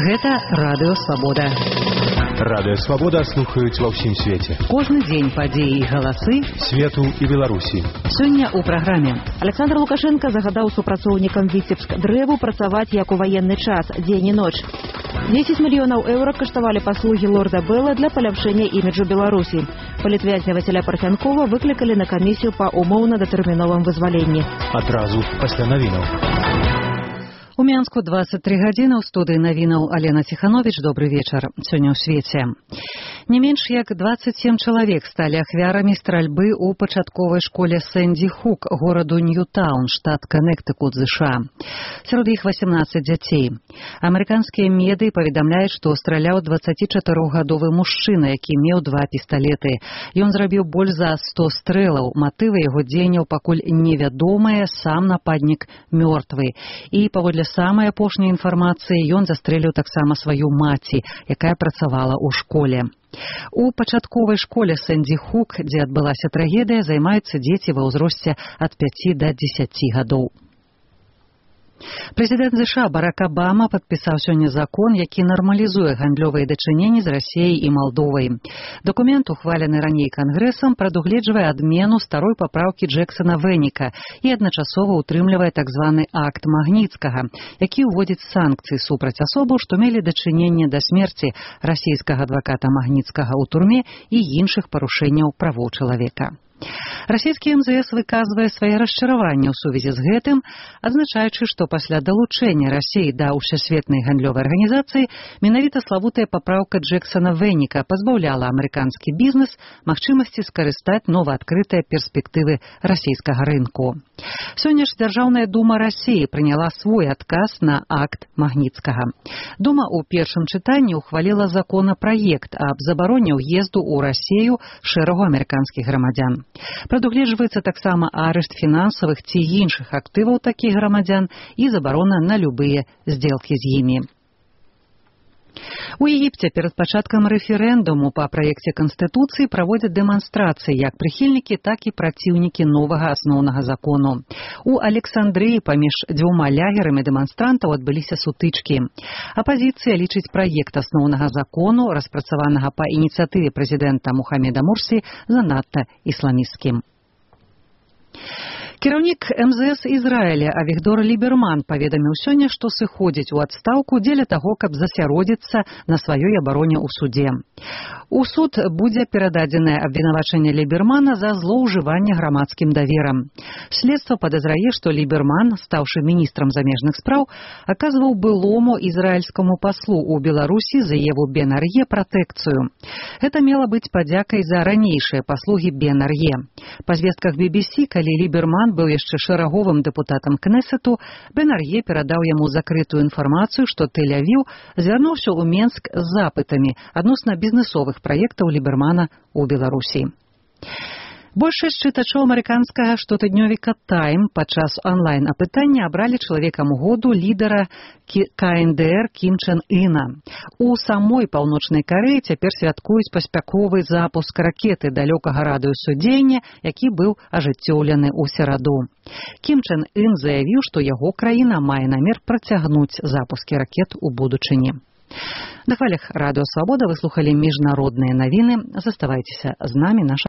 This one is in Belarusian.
Гэта Радыё Свабода. Радыё Свабода слухаюць ва ўсім свеце. Кожны дзень падзеі і галасы свету і Беларусі. Сёння ў праграме. Александр Лукашенко загадаў супрацоўнікам Віцебск дрэву працаваць як у ваенны час, дзень і ноч. 10 мільёнаў еўра каштавалі паслугі лорда Белла для паляпшэння іміджу Беларусі. Палітвязня Васіля Парфянкова выклікалі на камісію па умоўна-датэрміновым вызваленні. Адразу пасля навінаў. У Менску 23 гадзіны. У студыі навінаў Алена Ціхановіч. Добры вечар. Сёння ў свеце. Не менш як 27 чалавек сталі ахвярамі стральбы ў пачатковай школе Сэнді Хук гораду Ньютаун, штат Каннектыкут, США. Сярод іх 18 дзяцей. Амерыканскія медыі паведамляюць, што страляў 24-гадовы мужчына, які меў 2 пісталеты. Ён зрабіў больш за 100 стрэлаў. Матывы яго дзеянняў пакуль невядомыя, сам нападнік мёртвы. І паводле самай апошняй інфармацыі ён застрэліў таксама сваю маці, якая працавала ў школе. У пачатковай школе Сэнді Хук, дзе адбылася трагедыя, займаюцца дзеці ва ўзросце ад 5 да 10 гадоў. Прэзідэнт США Барак Абама падпісаў сёння закон, які нармалізуе гандлёвыя дачыненні з Расіяй і Малдовай. Дакумент, ухвалены раней Кангрэсам, прадугледжвае адмену старой папраўкі Джэксана-Вэніка і адначасова ўтрымлівае так званы акт Магніцкага, які ўводзіць санкцыі супраць асобаў, што мелі дачыненне да смерці расійскага адваката Магніцкага ў турме і іншых парушэнняў правоў чалавека. Расійскі МЗС выказвае свае расчараванні ў сувязі з гэтым, адзначаючы, што пасля далучэння Расіі да ўсесветнай гандлёвай арганізацыі менавіта славутая папраўка Джэксана-Вэніка пазбаўляла амерыканскі бізнес магчымасці скарыстаць новаадкрытыя перспектывы расійскага рынку. Сёння ж Дзяржаўная дума Расіі прыняла свой адказ на акт Магніцкага. Дума ў першым чытанні ухваліла законапраект аб забароне ўезду ў Расію шэрагу амерыканскіх грамадзян. Прадугледжваецца таксама арышт фінансавых ці іншых актываў такіх грамадзян і забарона на любыя здзелкі з імі. У Егіпце перад пачаткам рэферэндуму па праекце Канстытуцыі праводзяць дэманстрацыі як прыхільнікі, так і праціўнікі новага асноўнага закону. У Александрыі паміж 2 лягерамі дэманстрантаў адбыліся сутычкі. Апазіцыя лічыць праект асноўнага закону, распрацаванага па ініцыятыве прэзідэнта Мухаммеда Мурсі, занадта ісламісцкім. Кіраўнік МЗС Ізраіля Авігдор Ліберман паведаміў сёння, што сыходзіць у адстаўку дзеля таго, каб засяродзіцца на сваёй абароне ў судзе. У суд будзе перададзенае абвінавачанне Лібермана за злоўжыванне грамадскім даверам. Следства падазрае, што Ліберман, стаўшы міністрам замежных спраў, аказваў былому ізраільскаму паслу ў Беларусі Заеву Бен-Ар'е пратэкцыю. Гэта мела быць падзякай за ранейшыя паслугі Бен-Ар'е. Па звестках BBC, калі Ліберман быў яшчэ шэраговым дэпутатам Кнесету, Бен-Ар'е перадаў яму закрытую інфармацыю, што Тель-Авіў звярнуўся ў Менск з запытамі адносна бізнесовых праектаў Лібермана ў Беларусі. Большасць чытачоў амерыканскага штотыднёвіка «Тайм» падчас онлайн-апытання абралі чалавекам году лідара КНДР Кім Чен Іна. У самой Паўночнай Карэі цяпер святкуюць паспяховы запуск ракеты далёкага радыусу дзеяння, які быў ажыццёўлены ў сераду. Кім Чен Ін заявіў, што яго краіна мае намер працягнуць запускі ракет у будучыні. На хвалях Радыё Свабода вы слухалі міжнародныя навіны. Заставайцеся з намі. Наша